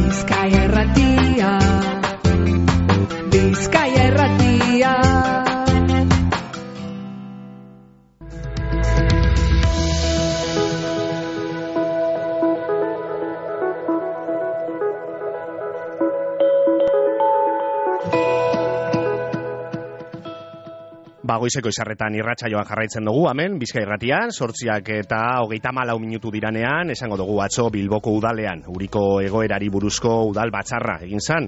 Bizkaia Irratia, Bizkaia Irratia. Goizeko izarretan irratsaioan jarraitzen dugu, hemen, Bizkaia Irratian, 8:34 minutu diranean, esango dugu atzo Bilboko udalean, uriko egoerari buruzko udal batzarra egin zan,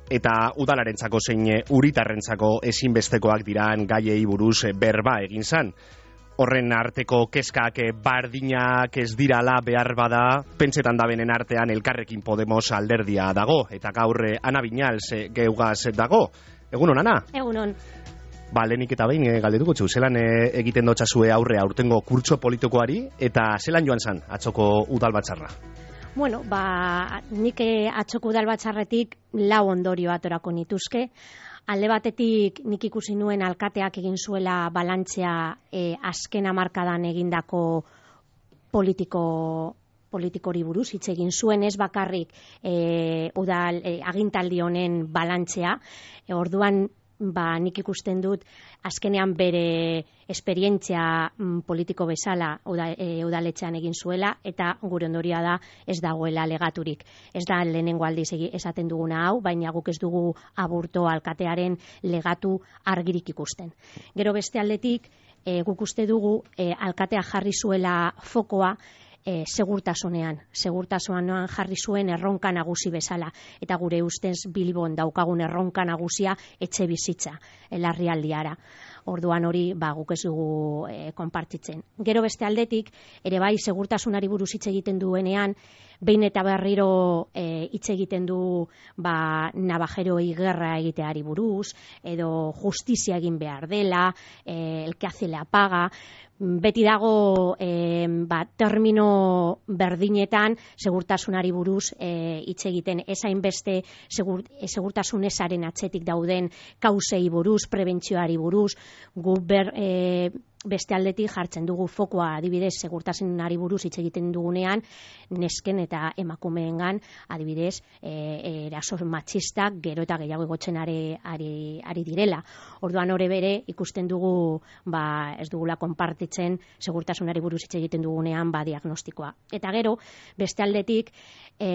eta udalarentzako zein uritarrentzako ezinbestekoak diran gaiei buruz berba egin zan. Horren arteko kezkak bardinak ez dirala behar bada, pentsetan da benen artean Elkarrekin Podemos alderdia dago, eta gaur Ana Viñals geugaz dago. Egunon, Ana? Egunon. Lehenik eta behin galdetuko txu, zelan egiten dotxazue aurre aurtengo kurtso politikoari, eta zelan joan zan atzoko udal batzarra? Bueno, nik atzoko udal batzarretik 4 ondorio atorako nituzke. Alde batetik nik ikusi nuen alkateak egin zuela balantzea azken hamarkadan egindako politikori buruz, hitz egin zuen ez bakarrik udal agintaldi honen balantzea, orduan nik ikusten dut azkenean bere esperientzia politiko bezala udaletxean egin zuela, eta gure ondorioa da ez dagoela legaturik. Ez da lehenengo aldiz esaten duguna hau, baina guk ez dugu Aburto alkatearen legatu argirik ikusten. Gero beste aldetik, guk uste dugu alkatea jarri zuela fokoa segurtasunean jarri zuen erronka nagusi bezala, eta gure ustez Bilbon daukagun erronka nagusia etxe bizitza larrialdiara. Orduan hori guk ez dugu konpartitzen. Gero beste aldetik, ere bai segurtasunari buruz hitz egiten duenean, behin eta berriro hitz egiten du nabajeroei gerra egiteari buruz, edo justizia egin behar dela, el que hace la paga. Beti dago termino berdinetan segurtasunari buruz hitz egiten, ezain beste segurtasun ezaren atzetik dauden kausei buruz, prebentzioari buruz. Gu beste aldetik jartzen dugu fokoa adibidez segurtasunari buruz hitz egiten dugunean, nesken eta emakumeengan adibidez eraso matxistak gero eta gehiago igotzen ari direla. Orduan hori bere ikusten dugu ez dugula konpartitzen segurtasunari buruz hitz egiten dugunean diagnostikoa. Eta gero beste aldetik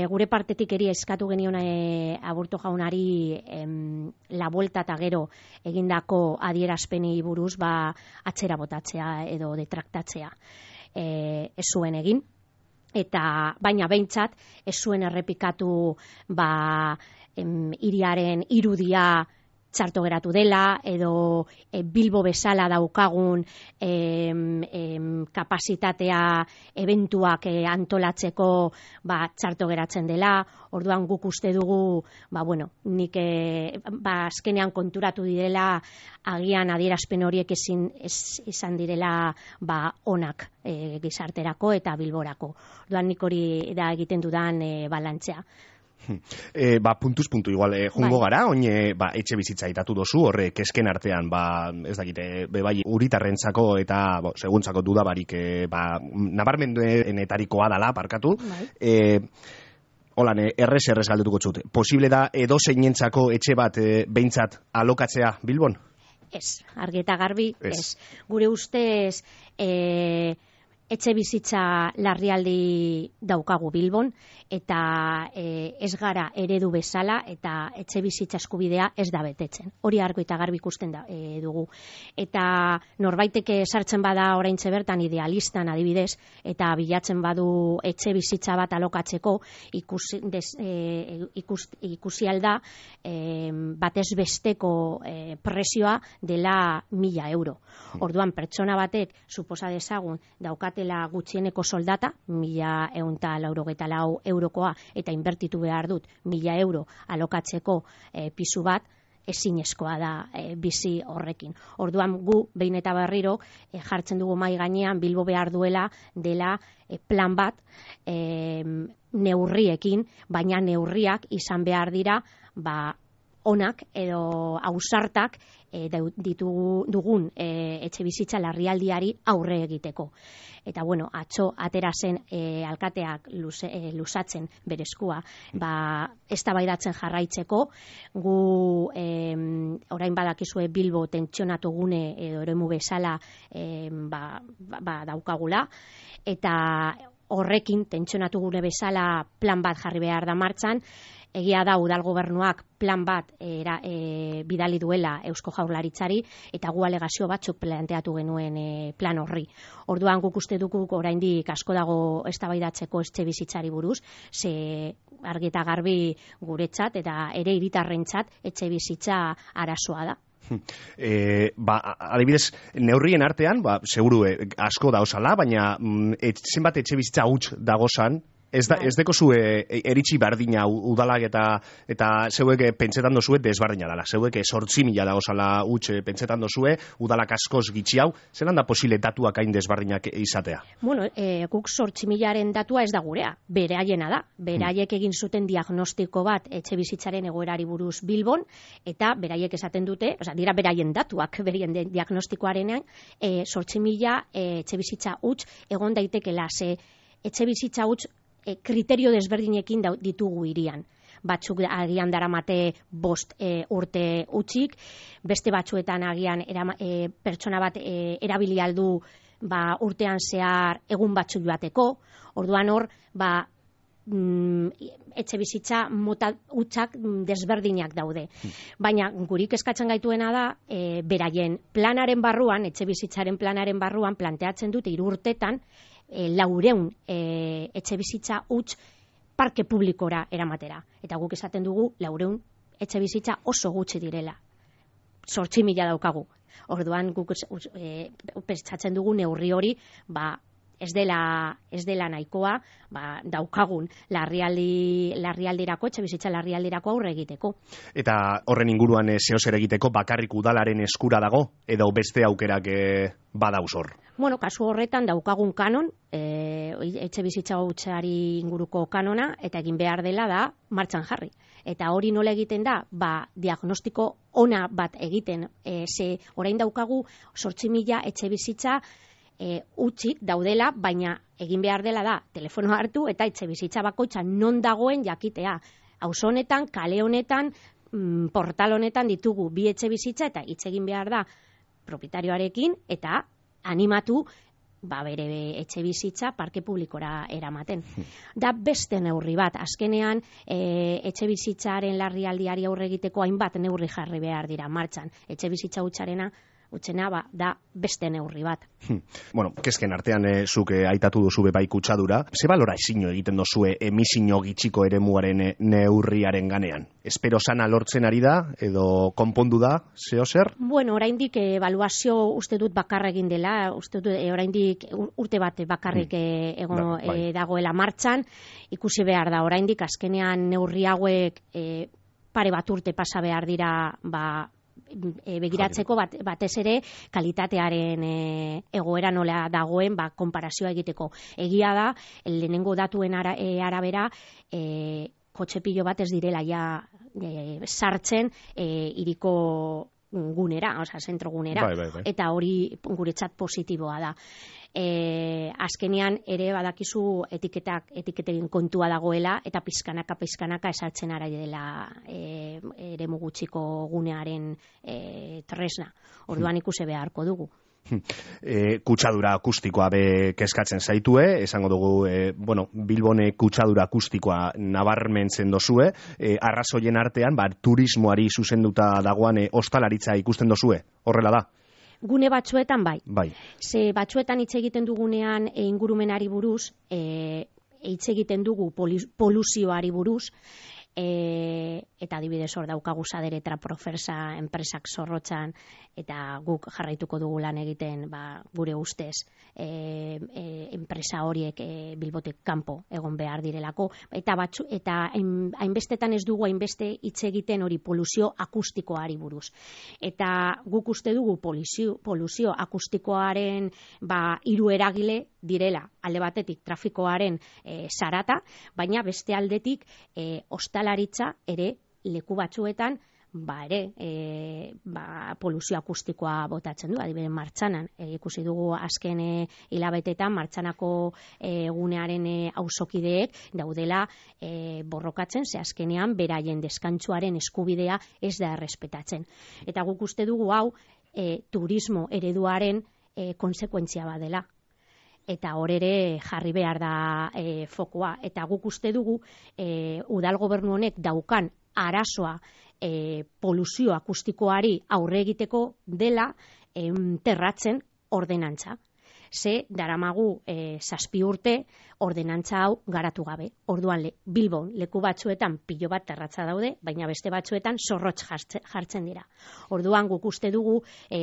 gure partetik eri eskatu genion Aburto jaunari la vuelta eta gero egindako adierazpeni buruz atzera botatzea edo detraktatzea ez zuen egin, eta baina behintzat ez zuen errepikatu hiriaren irudia txarto geratu dela, edo Bilbo bezala daukagun kapazitatea eventuak antolatzeko txarto geratzen dela. Orduan guk uste dugu nik azkenean konturatu direla agian adierazpen horiek izan direla onak gizarterako eta Bilborako. Orduan nik hori da egiten dudan balantzea. Puntuz puntu igual jungo gara, oin etxe bizitza itatu dozu, horre kesken artean, ez dakite, bai uritarrentzako eta seguntzako dudabarik nabarmenduenetarikoa dala, parkatu. Holan, errez galdetuko txut. Posible da edo zeinentzako etxe bat behintzat alokatzea Bilbon? Ez, argi eta garbi, ez. Gure ustez etxe bizitza larrialdi daukagu Bilbon, eta ez gara eredu bezala, eta etxe bizitza eskubidea ez da betetzen. Hori argi eta garbi ikusten dugu. Eta norbaiteke sartzen bada oraintxe bertan idealistan adibidez, eta bilatzen badu etxe bizitza bat alokatzeko, ikusi alda batez besteko presioa dela 1.000 euro. Orduan pertsona batek suposa dezagun daukatela gutxieneko soldata, 1.194 eurokoa, eta inbertitu behar dut 1.000 euro alokatzeko pisu bat, ezinezkoa da bizi horrekin. Orduan gu behin eta berriro jartzen dugu mahai gainean Bilbo behar duela dela plan bat neurriekin, baina neurriak izan behar dira onak edo ausartak dugun etxe bizitza larrialdiari aurre egiteko. Eta bueno, atzo atera zen alkateak luzatzen bereskua, eztabaidatzen jarraitzeko, gu orain badakizue Bilbo tentsionatu gune edo eremu bezala daukagula, eta horrekin tentsionatu gune bezala plan bat jarri behar da martxan. Egia da udal gobernuak plan bat bidali duela Eusko Jaurlaritzari, eta gu alegazio batzuk planteatu genuen plan horri. Orduan guk uste dugu oraindik asko dago eztabaidatzeko etxe bizitzari buruz, ze argi eta garbi guretzat eta ere hiritarrentzat etxe bizitza arazoa da. Adibidez, neurrien artean, seguru asko da osala, baina zenbat etxe bizitza huts dagozan, ez deko zue eritxi bardina udalak eta zeuek pentsetan dozue desbardina dela. Zeuek 8.000 dagozala huts pentsetan dozue, udalak askoz gitxi hau, zelan da posile datuak hain desbardinak izatea? Bueno, guk 8.000aren datua ez da gurea, beraiena da. Beraiek egin zuten diagnostiko bat etxe bizitzaren egoerari buruz Bilbon, eta beraiek esaten dute, dira beraien datuak, beraien diagnostikoarenean, 8.000 etxe bizitza huts egon daitekela, ze etxe bizitza huts kriterio desberdinekin ditugu hirian. Batzuk agian daramate 5 urte utzik, beste batzuetan agian pertsona bat erabili aldu urtean zehar egun batzuk joateko. Orduan hor, etxe bizitza mota hutsak desberdinak daude. Baina gurik eskatzen gaituena da, beraien planaren barruan, etxe bizitzaren planaren barruan planteatzen dute 3 urtetan 400 etxe bizitza huts parke publikora eramatera. Eta guk esaten dugu 400 etxe bizitza oso gutxi direla. 8.000 daukagu. Orduan guk pentsatzen dugu neurri hori ez dela nahikoa daukagun larrialdirako, etxe bizitza larrialdirako aurre egiteko. Eta horren inguruan zeozer egiteko bakarrik udalaren eskura dago, edo beste aukerak badauz hor? Bueno, kasu horretan daukagun kanon, etxe bizitza hutsari inguruko kanona, eta egin behar dela da martxan jarri. Eta hori nola egiten da, diagnostiko ona bat egiten, ze orain daukagu 8.000 etxe bizitza utzik daudela, baina egin behar dela da telefono hartu eta etxe bizitza bakoitza non dagoen jakitea. Auzo honetan, kale honetan, portal honetan ditugu 2 etxe bizitza, eta hitz egin behar da proprietarioarekin eta animatu bere etxe bizitza parke publikora eramaten. Da beste neurri bat, azkenean etxe bizitzaren larrialdiari aurre egiteko hainbat neurri jarri behar dira martxan. Etxe bizitza hutsena da beste neurri bat. Bueno, kezken artean zuk aitatu duzu bai kutsadura. Ze balora ezino egiten dozue emisino gitxiko eremuaren neurriaren ganean? Espero sana lortzen ari da, edo konpondu da, zeozer? Bueno, oraindik ebaluazio uste dut bakarra egin dela, uste dut oraindik urte bat bakarrik dagoela martxan, ikusi behar da oraindik, azkenean neurri hauek pare bat urte pasa behar dira begiratzeko batez ere kalitatearen egoera nola dagoen konparazioa egiteko. Egia da, lehenengo datuen arabera kotxe pilo bat ez direla sartzen hiriko gunera, zentro gunera, eta hori guretzat positiboa da. Azkenean ere badakizu etiketen kontua dagoela, eta pizkanaka esartzen ara dela eremu gutxiko gunearen tresna. Orduan ikusi beharko dugu. Kutsadura akustikoa kezkatzen zaitue, esango dugu, Bilbone kutsadura akustikoa nabarmentzen dozue, arrazoien artean, turismoari zuzenduta dagoan ostalaritza ikusten dozue, horrela da? Gune batzuetan bai. Ze batzuetan hitz egiten dugunean ingurumenari buruz, hitz egiten dugu poluzioari buruz, eta adibidez hor daukagu Sadere Traprofersa enpresak Zorrotzan, eta guk jarraituko dugu lan egiten gure ustez enpresa horiek Bilbotik kanpo egon behar direlako, eta hainbestetan ez dugu hainbeste hitz egiten hori poluzio akustikoari buruz. Eta guk uste dugu poluzio akustikoaren 3 eragile direla, alde batetik trafikoaren zarata, baina beste aldetik ostalaritza ere leku batzuetan poluzio akustikoa botatzen du, adibidez martxanan. Ikusi dugu azken hilabetetan martxanako gunearen auzokideek daudela borrokatzen, ze azkenean beraien deskantsuaren eskubidea ez da errespetatzen. Eta guk uste dugu hau turismo ereduaren konsekuentzia badela. Eta hor ere jarri behar da fokoa. Eta guk uste dugu udal gobernu honek daukan arazoa poluzio akustikoari aurre egiteko dela terratzen ordenantza. Ze daramagu 7 urte ordenantza hau garatu gabe. Orduan Bilbon leku batzuetan pilo bat terratza daude, baina beste batzuetan zorrotz jartzen dira. Orduan guk uste dugu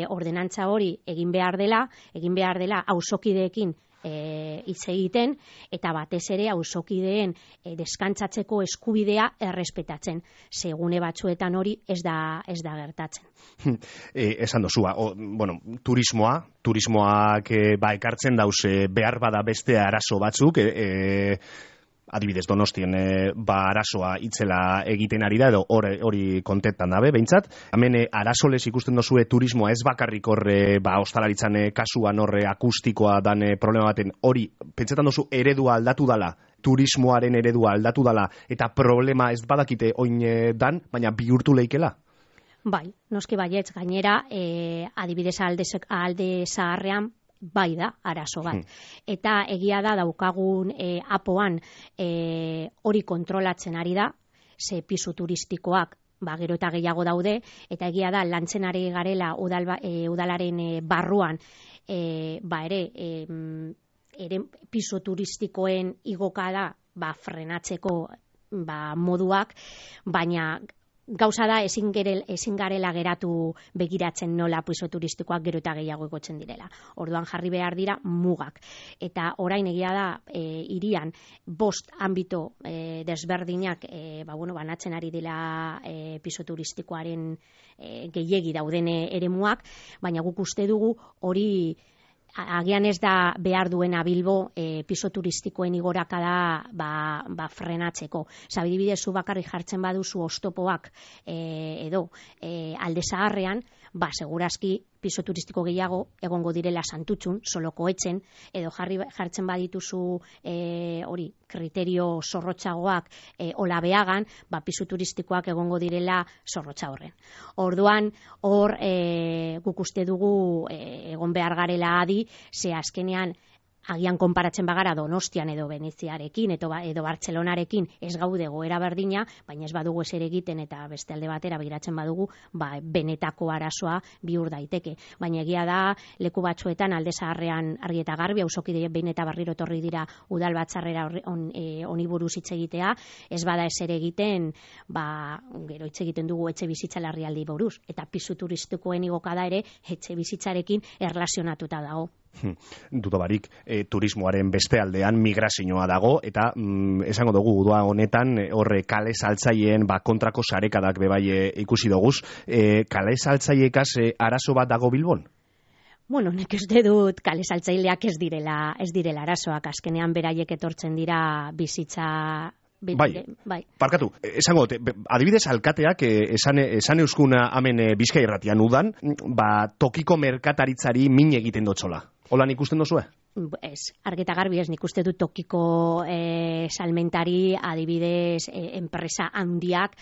ordenantza hori egin behar dela auzokideekin hitz egiten, eta batez ere auzokideen deskantzatzeko eskubidea errespetatzen. Segune batzuetan hori ez da gertatzen. Esan dozua, turismoak ekartzen dauz behar bada beste arazo batzuk, adibidez Donostien arazoa itzela egiten ari da, edo hori kontentan dabe, behintzat. Hemen arazoles ikusten dozue turismoa ez bakarrik horre ostalaritzan kasuan horre akustikoa dan problema baten, hori, pentsetan dozu eredua aldatu dala, turismoaren eredua aldatu dala, eta problema ez badakite oin dan, baina bihurtu leikela? Bai, noski baietz, gainera, adibidez alde zaharrean, bai da, arazo bat. Eta egia da daukagun apoan hori kontrolatzen ari da, ze pisu turistikoak gero eta gehiago daude, eta egia da lantzen ari garela udalaren barruan ere pisu turistikoen igokada frenatzeko moduak, baina gauza da ezin garela geratu begiratzen nola pisu turistikoak gero eta gehiago igotzen direla. Orduan jarri behar dira mugak. Eta orain egia da hirian 5 anbito desberdinak banatzen ari dela pisu turistikoaren gehiegi dauden eremuak, baina guk uste dugu hori agian ez da behar duena Bilbo piso turistikoen igorakada frenatzeko. Adibidez, zu bakarrik jartzen baduzu oztopoak edo alde zaharrean, segurazki piso turistiko gehiago egongo direla Santutxun, Solokoetzen, edo jartzen badituzu kriterio zorrotzagoak Olabeagan, piso turistikoak egongo direla Zorrotza horren. Orduan, hor guk uste dugu egon behar garela adi, ze azkenean agian konparatzen bagara Donostian edo Veneziarekin edo Bartzelonarekin ez gaude goera berdina, baina ez badugu ezer egiten eta beste alde batera begiratzen badugu, benetako arazoa bihur daiteke. Baina egia da leku batzuetan alde zaharrean argi eta garbi, auzokide behin eta berriro etorri dira udal batzarrera honi buruz hitz egitea, ez bada ezer egiten, gero hitz egiten dugu etxe bizitza larrialdi buruz, eta pisu turistikoen igokada ere etxe bizitzarekin erlazionatuta dago. Duda barik, turismoaren beste aldean migrazioa dago, eta esango dugu udua honetan horre kale saltzaileen kontrako sarekadak bebai ikusi doguz. Kale saltzaiekaz arazo bat dago Bilbon? Nik uste dut kale saltzaileak ez direla arazoak, azkenean beraiek etortzen dira bizitza. Bai. Parkatu, esango, adibidez alkateak esan euskuna hemen Bizkai Irratian udan, tokiko merkataritzari min egiten dotzola. Hola nik usten dozue? Ez, argita garbi ez, nik uste dut tokiko salmentari adibidez enpresa handiak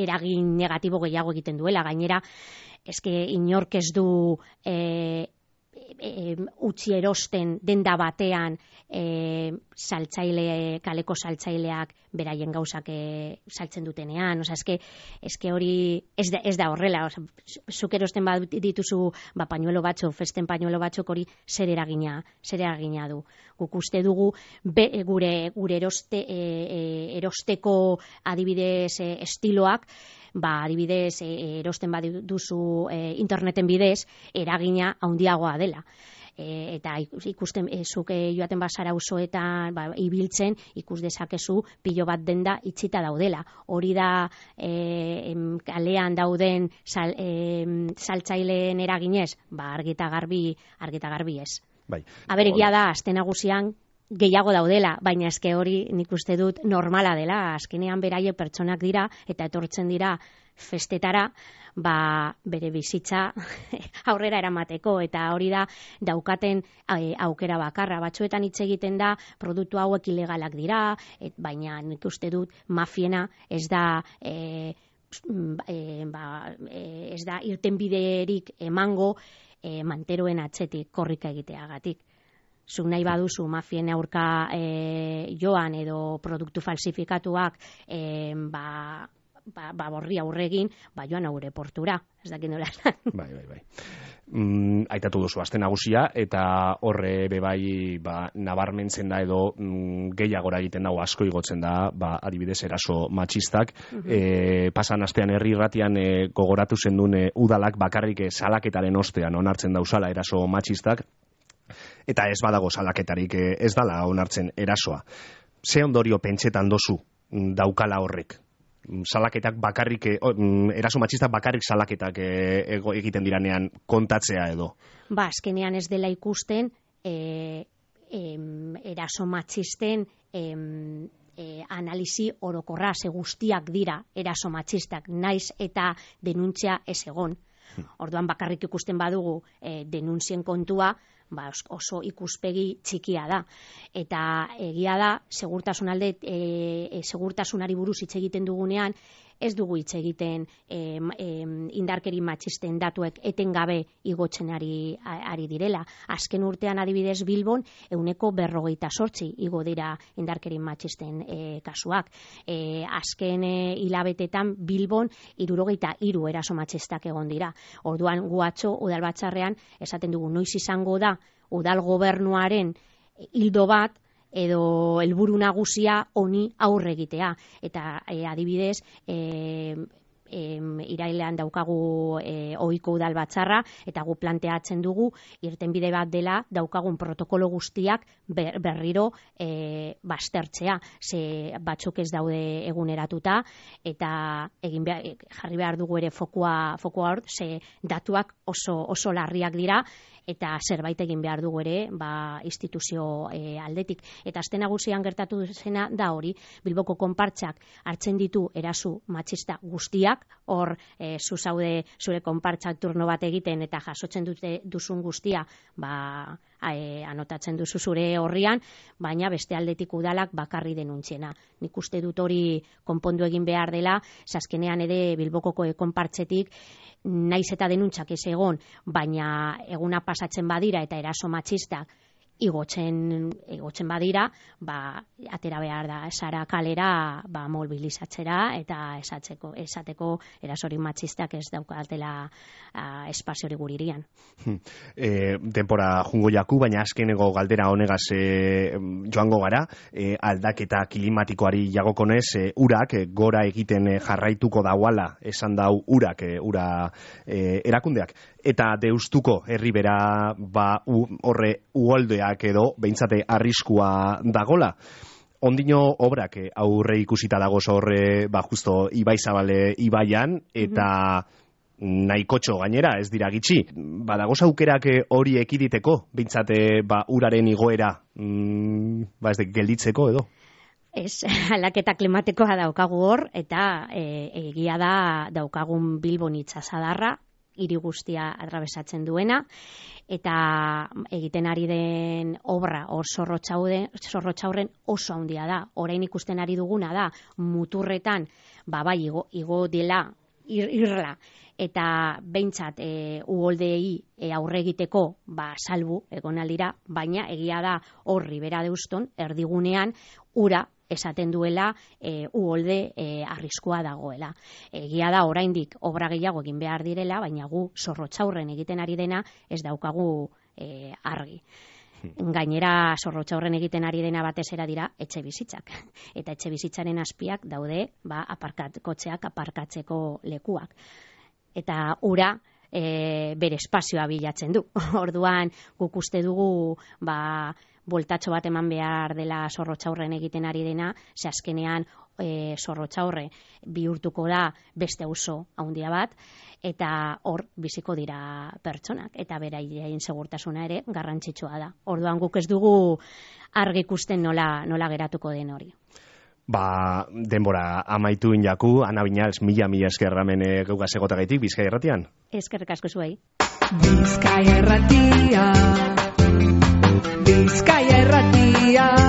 eragin negatibo gehiago egiten duela. Gainera, eske inork ez du utzi erosten denda batean kaleko saltzaileak beraien gauzak saltzen dutenean, eske hori ez da horrela, zuk erosten dituzu pañuelo batzuk, festen pañuelo batzuk, hori zer eragina du. Guk uste dugu gure erosteko adibidez estiloak, adibidez erosten baduzu interneten bidez, eragina handiagoa dela. Eta ikusten zuk joaten bazara auzoetan ibiltzen, ikus dezakezu pilo bat denda itxita daudela. Hori da kalean dauden saltzaileen eraginez, argi eta garbi ez. Bai. Egia da, aste nagusian gehiago daudela, baina eske hori nik uste dut normala dela, azkenean beraie pertsonak dira eta etortzen dira festetara, bere bizitza aurrera eramateko, eta hori da daukaten aukera bakarra. Batzuetan hitz egiten da produktu hauek ilegalak dira, baina nik uste dut mafiena ez da ez da irtenbiderik emango manteroen atzetik korrika egiteagatik. Zuk nahi baduzu mafien aurka joan edo produktu falsifikatuak borri aurregin, joan aurre portura, ez dakit nola. Bai. Aitatu duzu aste nagusia, eta horre bebai nabarmentzen da edo gehiagora egiten dago, asko igotzen da, adibidez eraso matxistak. Pasan astean herri irratian gogoratu zendun udalak bakarrik salaketaren ostean onartzen dauzala eraso matxistak, eta ez badago salaketarik ez dala onartzen erasoa. Ze ondorio pentsetan dozu daukala horrek? Salaketak bakarrik, eraso matxistak bakarrik salaketak egiten diranean kontatzea edo? Azkenean ez dela ikusten eraso matxisten analisi orokorra, ze guztiak dira eraso matxistak, naiz eta denuntzia ez egon. Orduan bakarrik ikusten badugu denuntzien kontua, oso ikuspegi txikia da. Eta egia da, segurtasunari buruz hitz egiten dugunean, ez dugu hitz egiten indarkeri matxisten datuek etengabe igotzen ari direla. Azken urtean adibidez Bilbon 48% igo dira indarkeri matxisten kasuak. Azken hilabetetan Bilbon 63 eraso matxistak egon dira. Orduan gu atzo udalbatzarrean esaten dugu noiz izango da udal gobernuaren ildo bat edo helburu nagusia honi aurre egitea. Eta adibidez, irailean daukagu ohiko udal batzarra, eta gu planteatzen dugu irtenbide bat dela daukagun protokolo guztiak berriro baztertzea. Ze batzuk ez daude eguneratuta, eta jarri behar dugu ere fokua hor, ze datuak oso larriak dira, eta zerbait egin behar dugu ere instituzio aldetik. Eta aste nagusian gertatu zena da hori, Bilboko konpartsak hartzen ditu eraso matxista guztiak, hor zu zaude zure konpartsak turno bat egiten eta jasotzen duzun guztia anotatzen duzu zure horrian, baina beste aldetik udalak bakarri denuntziena. Nik uste dut hori konpondu egin behar dela, azkenean ere Bilboko konpartzetik naiz eta denuntziak ez egon, baina eguna pasatzen badira eta eraso matxistak igotzen badira, atera behar da esara kalera mobilizatzera eta esateko erasorik matxistak ez daukatela espaziori guririan. Denpora jungo jaku, baina azkeneko galdera honegaz joango gara, aldaketa klimatikoari jagokonez, urak gora egiten jarraituko dauala, esan dau urak, ura erakundeak, eta deustuko herribera horre uholdeak edo behintzate arriskua dagola. Ondino obrak aurre ikusita dago horre justo Ibai Zabale ibaian, eta nahikotxo gainera, ez dira gitxi. Badagoz aukerak hori ekiditeko, behintzate uraren igoera ez de gelditzeko edo? Ez, aldaketa klimatikoa daukagu hor, eta egia da daukagun Bilbon itsasadarra, hiri guztia atrabesatzen duena, eta egiten ari den obra hor Zorrotxaurren oso handia da. Orain ikusten ari duguna da muturretan igo dela irla, eta behintzat uholdei aurre egiteko salbu egon aldira, baina egia da hor Ribera Deuston erdigunean ura esaten duela uholde arriskua dagoela. Egia da oraindik obra gehiago egin behar direla, baina gu Zorrotxaurren egiten ari dena ez daukagu argi. Gainera Zorrotxaurren egiten ari dena batez era dira etxe bizitzak. Eta etxe bizitzaren azpiak daude kotxeak aparkatzeko lekuak. Eta ura bere espazioa bilatzen du. Orduan guk uste dugu boltatxo bat eman behar dela Zorrotxaurren egiten ari dena, ze azkenean Zorrotza horre bihurtuko da beste auzo handia bat, eta hor biziko dira pertsonak, eta beraien segurtasuna ere garrantzitsua da. Orduan guk ez dugu argi ikusten nola geratuko den hori. Denbora amaitu injaku, Ana Viñals, mila esker hemen geuga segotagaitik Bizkaia Irratian. Eskerrik asko zuei. Bizkaia Irratia, Bizkaia Irratia.